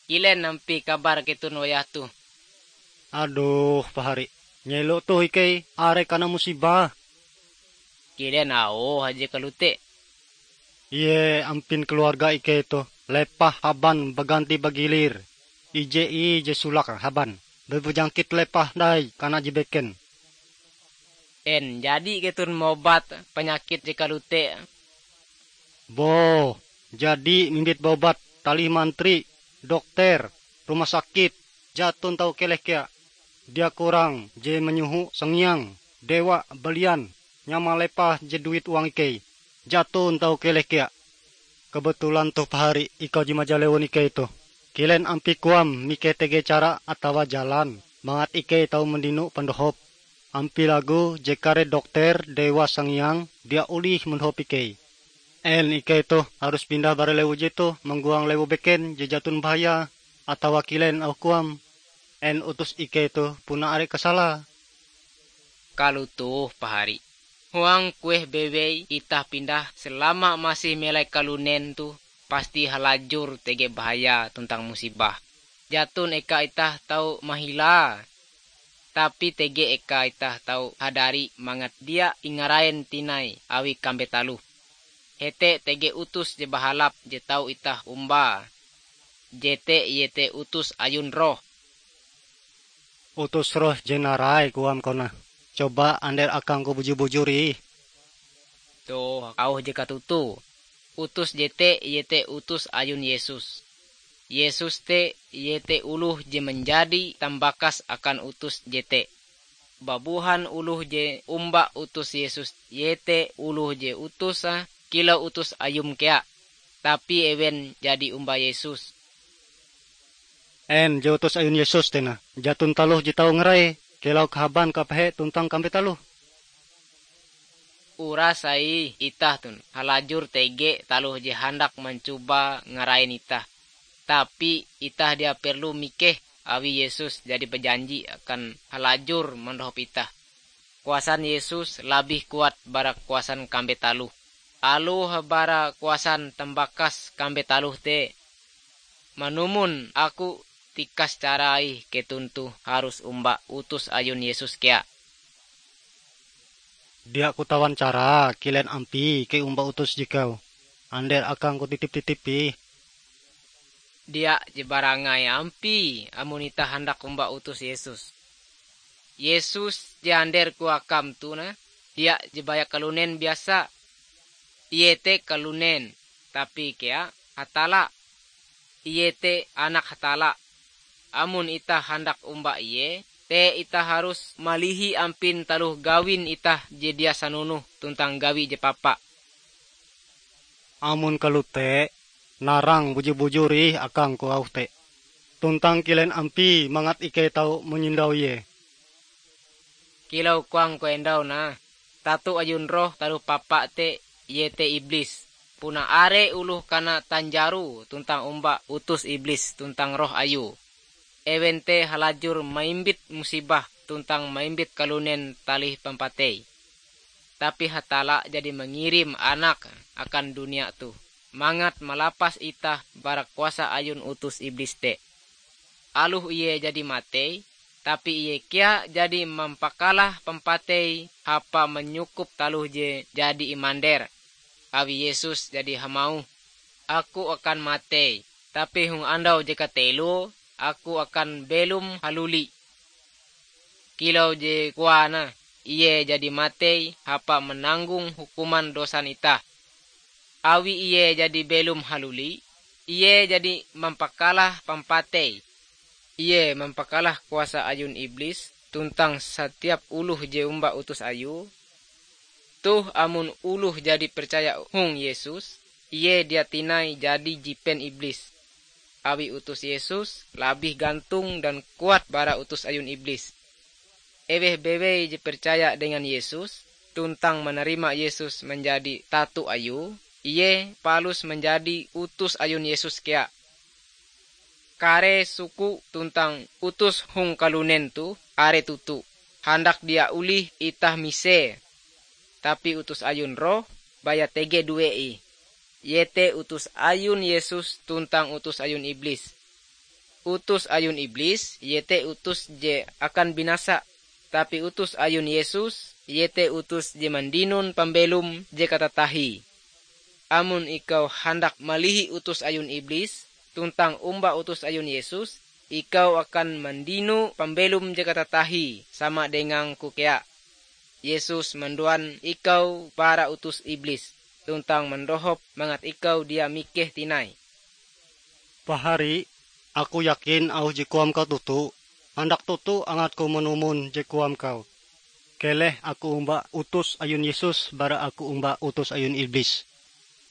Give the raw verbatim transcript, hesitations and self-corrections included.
Kilen ampie kabar keton wayah toh? Adoh, pahari, nyelo toh ikei are kana musibah. Kilen auhe je kalote? Ie ampin keluarga ikei toh lepah haban baganti bagilir. Ije ih je solake haban, bepanyakit lepah dai kana je beken. En jadi keton mobat panyakit je kalote? Boh, jadi mimbit baobat talih mantri, dokter, rumah sakit, jaton tau keleh kea. Dia kurang je manyoho sangiang, dewa, balian, nyama lepah je duit huang ikei, jaton tau keleh kea. Kebetulan toh pahari ikau je majalewon ikei toh. Kilen ampie koam mikeh tege cara atawa jalan mangat ikei tau mandino pandohop? Ampie lagu je kare dokter dewa sangiang dia olih mandohop ikei. En ikei toh harus pindah bara lewu jetoh manggoang lewu beken je jaton bahaya, atawa kilen auh koam? En utus ikei toh puna are kasalae? Kalotoh pahari. Huang kueh bewei itah pindah selama masih melai kalunen toh pasti halajur tege bahaya tuntang musibah. Jaton eka itah tau mahilae, tapi tege eka itah tau hadari mangat dia ingarain tinai awi kambe taloh. Hete tege utus je bahalap je tau itah ombae. Jete iete utus ayun roh. Utus roh je narai koam konah. Coba ander akangku bujur-bujur ih. Toh auh je katutu. Utus jete iete utus ayun Yesus. Yesus te iete oloh je manjadi tambakas akan utus jete. Babuhan oloh je omba utus Yesus iete oloh je utus kilau utus ayum kea, tapi ewen jadi omba Yesus. En je utus ayun Yesus tena? Jaton taloh je tau ngarai, kilau kahaban kapehe tuntang kambe taloh. Uras sai itah tun halajur tege taloh je handak mancoba ngarain itah. Tapi itah dia perlu mikeh awi Yesus jadi bajanji akan halajur mandohop itah. Kuasan Yesus labih kuat bara kuasan kambe taloh. Aloh bara kuasan tambakas kambe taloh te, manumon aku tikas cara ih keton toh harus omba utus ayun Yesus kea. Dia kutawan cara kilen ampie ikei omba utus jikau. Ander akangku titip-titip ih. Dia je barangai ampie amon itah handak omba utus Yesus. Yesus je anderku akam toh nah, dia je baya kalunen biasa. Ie te kalunen, tapi kea Hatalla. Ie te Anak Hatalla. Amon itah handak omba Ie, te itah harus malihi ampin taloh gawin itah je dia sanonoh tuntang gawi je papa. Amon kalote, narang bujur-bujur ih akangku auh te. Tuntang kilen ampie mangat ikei tau manyondau Ie? Kilau koangku endau nah, tato ayun roh taloh papa te iete Iblis. Puna are oloh kana tanjaro tuntang omba utus Iblis tuntang roh ayue. Ewen te halajur maimbit musibah tuntang maimbit kalunen talih pampatei. Tapi Hatalla jadi mangirim Anake akan dunia toh, mangat malapas itah bara kuasa ayun utus Iblis te. Aloh Ie jadi matei, tapi Ie kea jadi mampakalah pampatei hapa manyukup taloh je jadi imander. Awi Yesus jadi hamauh, "Aku akan matei, tapi hong andau je kateloe Aku akan belom haluli." Kilau je koae, Ie jadi matei hapa mananggong hukuman dosan itah. Awi Ie jadi belom haluli, Ie jadi mampakalah pampatei. Ie mampakalah kuasa ayun Iblis tuntang satiap oloh je omba utus Ayue. Toh amon oloh jadi percaya hong Yesus, ie dia tinai jadi jipen Iblis. Awi utus Yesus labih gantong dan kuat bara utus ayun Iblis. Eweh bewei je percaya dengan Yesus tuntang manarima Yesus manjadi tato Ayue, ie palus manjadi utus ayun Yesus kea. Kare suku tuntang utus hong kalunen toh are toto, handak dia olih itah mise. Tapi utus ayun roh baya tege due ih, iete utus ayun Yesus tuntang utus ayun Iblis. Utus ayun iblis, iete utus je akan binasa, tapi utus ayun Yesus, iete utus je mandinon pambelom je katatahie. Amon ikau handak malihi utus ayun iblis, tuntang omba utus ayun Yesus, ikau akan mandino pambelom je katatahie sama dengangku kea. Yesus manduan ikau bara utus iblis, tuntang mandohop mangat ikau dia mikeh tinai. Pahari, aku yakin auh je koam kau toto. Handak toto angatku manumon je koam kau. Keleh aku omba utus ayun Yesus bara aku omba utus ayun iblis.